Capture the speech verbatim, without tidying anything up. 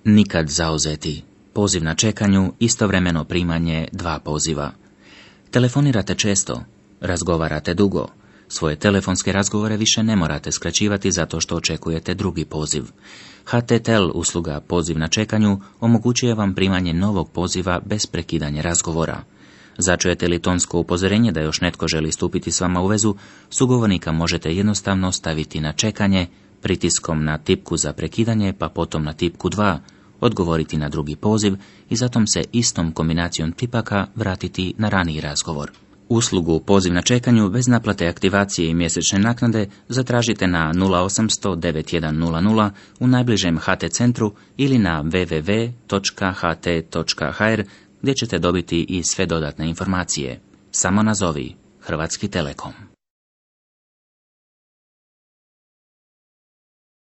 Nikad zauzeti. Poziv na čekanju, istovremeno primanje dva poziva. Telefonirate često, razgovarate dugo. Svoje telefonske razgovore više ne morate skraćivati zato što očekujete drugi poziv. H T Tel usluga poziv na čekanju omogućuje vam primanje novog poziva bez prekidanja razgovora. Začujete li tonsko upozorenje da još netko želi stupiti s vama u vezu, sugovornika možete jednostavno staviti na čekanje, pritiskom na tipku za prekidanje pa potom na tipku dva, odgovoriti na drugi poziv i zatom se istom kombinacijom tipaka vratiti na raniji razgovor. Uslugu poziv na čekanju bez naplate aktivacije i mjesečne naknade zatražite na nula osamsto devet jedan nula nula u najbližem H T centru ili na w w w točka h t točka h r gdje ćete dobiti i sve dodatne informacije. Samo nazovi Hrvatski Telekom.